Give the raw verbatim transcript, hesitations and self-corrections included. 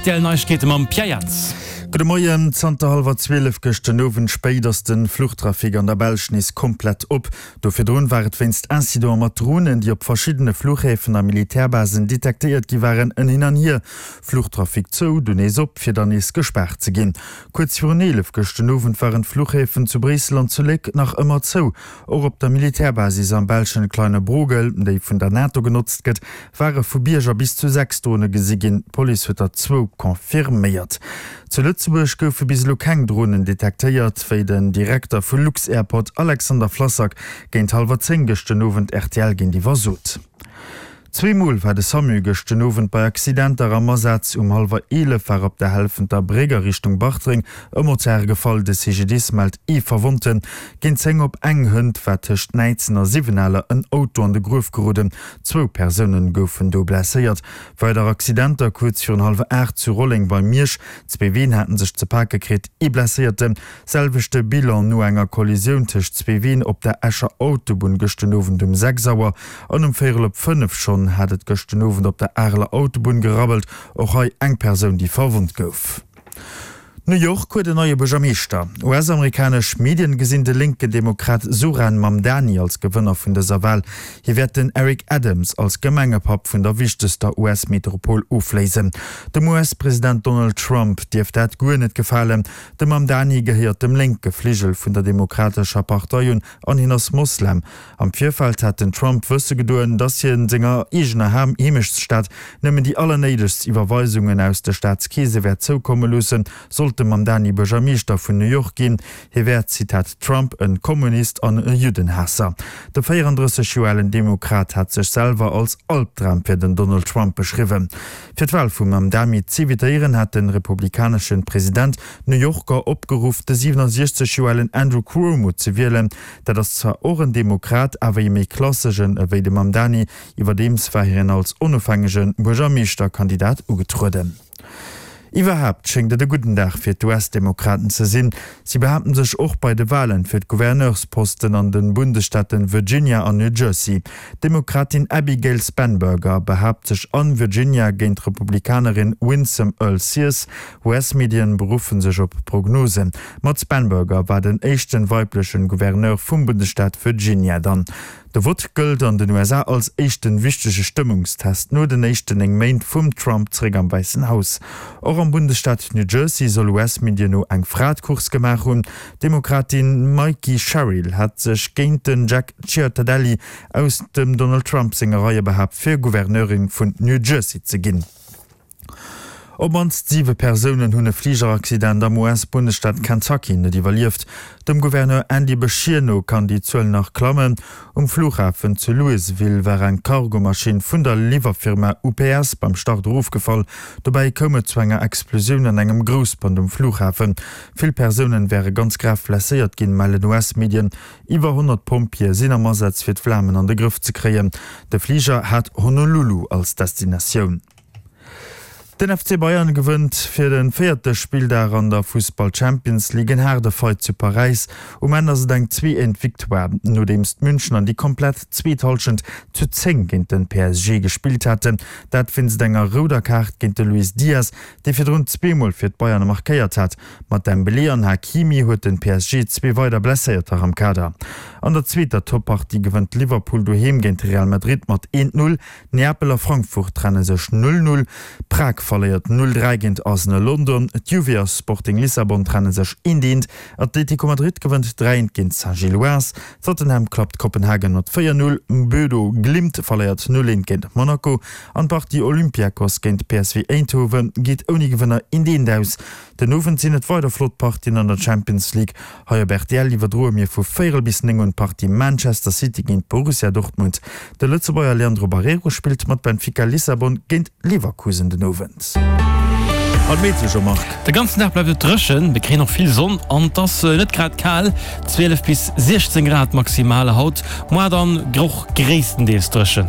Rtl Neiegkeete mam Pierre Jans. Gudde Moien, Zanter hallwer zwielef gëscht den Owend spéit ass de Fluchtrafic an der Belsch nees komplett op. Do virdrun war et wéinst Incidente mat Dronen, déi op verschiddene Fluchhäfen a Militärbasen detektéiert gi waren, en Hin an Hier. Fluchtrafic zou, dunn nees op, fir dann nees gespaart ze ginn. Kuerz virun eelef gëscht den Owend waren d'Fluchhäfen zu Bréissel an zu Léck nach ëmmer zou. Och op der Militärbasis am belschen Kleine Brogel, déi vun der NATO genotzt gëtt, ware vu Bierger bis zu sechs Drone gesi ginn. D'Police huet der zwou confirméiert. Zu Lëtzebuerg goufe bis elo keng Dronen detektéiert, wéi den Direkter vu lux-Airport Alexander Flassak géint hallwer zéng gëscht den Owend rtl géintiwwer sot. Zwee Mol war de Samu gëscht den Owend bei Accidenter am Asaz. Um hallwer eelef war op der Helfenter Bréck a Richtung Bartreng e Motard gefall. De C G D I S mellt ee Verwonnten. Géint zéng op eng hënt war tëscht Näidsen a Siwenaler en Auto an de Gruef geroden. Zwou Persoune goufen do blesséiert. Weider Accidenter kuerz virun hallwer aacht zu Rolleng bei Miersch. Zwee Ween haten sech ze pake kritt, ee Blesséierten. Selwechte Bilan no enger Kollisioun tëscht zwee Ween op der Escher Autobunn gëscht den Owend um sechs Auer. An um véierel op fënnef schonn hat et gëscht den Owend op der Areler Autobunn gerabbelt. Och hei eng Persoun, déi verwonnt gouf. New York huet en neie Buergermeeschter. U S-amerikanesch Medien gesinn de lénken Demokrat Zohran Mamdani als Gewënner vun dëser Wal. Hie wäert den Eric Adams als Gemengepapp vun der wichtegster U S-Metropol ofléisen. Dem U S-President Donald Trump dierft dat guer net gefalen. De Mamdani gehéiert dem lénke Fligel vun der Demokratescher Partei un an hien ass Moslem. Am Virfeld hat den Trump wësse gedoen, datt hien senger eegener Heemechtsstad nëmmen déi allernéidegst Iwwerweisungen aus de Staatskeese wäert zoukomme loossen, sollt de Mamdani Buergermeeschter vun New York ginn. Hie wär, Zitat Trump, e Kommunist an e Juddenhaasser. De véierandrësseg Joer alen Demokrat hat sech selwer als Albdram fir den Donald Trump beschriwwen. Fir d'Wal vum Mamdani z'evitéieren, hat de republikanesche President d'New Yorker opgeruff, de siwenasiechzeg Joer alen Andrew Cuomo ze wielen. Dat ass zwar och en Demokrat, awer ee méi klasseschen ewéi de Mamdani. Iwwerdeems war hien als onofhängege Buergermeeschterkandidat ugetrueden. Iwwerhaapt schéngt et e gudden Dag fir d'U S-Demokraten ze sinn. Si behaapten sech och bei de Walen fir d'Gouverneursposten an de Bundesstaaten Virginia an New Jersey. D'Demokratin Abigail Spanberger behaapt sech an Virginia géint d'Republikanerin Winsome Earle-Sears. U S-Medien beruffen sech op Prognosen. Mat Spanberger war den éischten weiblechen Gouverneur vum Bundesstaat Virginia dann. De Vott gëllt an den U S A als éischten wichtege Stëmmungstest no den éischten néng Méint vum Trump zeréck am Wäissen Haus. Och am Bundesstaat New Jersey soll U S-Medien no eng Fra d'Course gemaach hunn. D'Demokratin Mikie Sherrill hat sech géint den Jack Ciattarelli aus dem Donald Trump senge Reie behaapt fir Gouverneurin vun New Jersey ze ginn. Op d'mannst siwe Persounen hunn e Fligeraccident am U S-Bundesstaat Kentucky net iwwerlieft. Dem Gouverneur Andy Beshear no kann déi Zuel nach klammen. Um Flughafen zu Louisville war eng Cargomaschinn vun der Liwwerfirma U P S beim Start erofgefall. Dobäi koum et zu enger Explosioun an engem Groussbrand um Flughafen. Vill Persounen wäre ganz grav blesséiert ginn, mellen U S-Medien. Iwwer honnert Pompjeeë sinn am Asaz fir d'Flamen an de Grëff ze kréien. De Fliger hat Honolulu als Destinatioun. Den F C Bayern gewënnt fir de véierte Spilldag an der Fussball Champions League en haarde Fight zu Paräis. Um Enn ass et eng zwee eent Victoire, nodeems d'Münchener déi komplett zweet Hallschent zu zéng géint de P S G gespillt haten. Dat wéinst enger rouder Kaart géint de Luis Diaz, dee virdrun zweemol fir d'Bayern markéiert hat. Mat Dembélé an Hakimi huet de P S G zwee weider Blesséierter am Kader. An der zweeter Toppartie gewënnt Liverpool doheem géint Real Madrid mat eent null. Neapel a Frankfurt trenne sech null null. Prag verléiert null dräi géint Arsenal London. D'Juve a Sporting Lissabon trenne sech eent eent. Atlético Madrid gewënnt dräi eent géint Saint-Gilloise. Tottenham klappt Kopenhagen mat véier null. Bodo Glimt verléiert null eent géint Monaco. An d'Partie Olympiakos géint P S V Eindhoven geet ouni Gewënner eent eent aus. Den Owend sinn et weider flott Partien an der Champions League. Hei op R T L iwwerdroe mir vu véierel bis néng un d'Partie Manchester City géint Borussia Dortmund. De Lëtzebuerger Leandro Barreiro spillt mat Benfica Lissabon géint Leverkusen den Owend. An d'Meteo, Jean-Marc. De ganzen Dag bleift et dréchen, mir kréien och vill Sonn an et ass net grad kal, zwielef bis siechzéng Grad maximal haut, moar dann och gréisstendeels dréchen.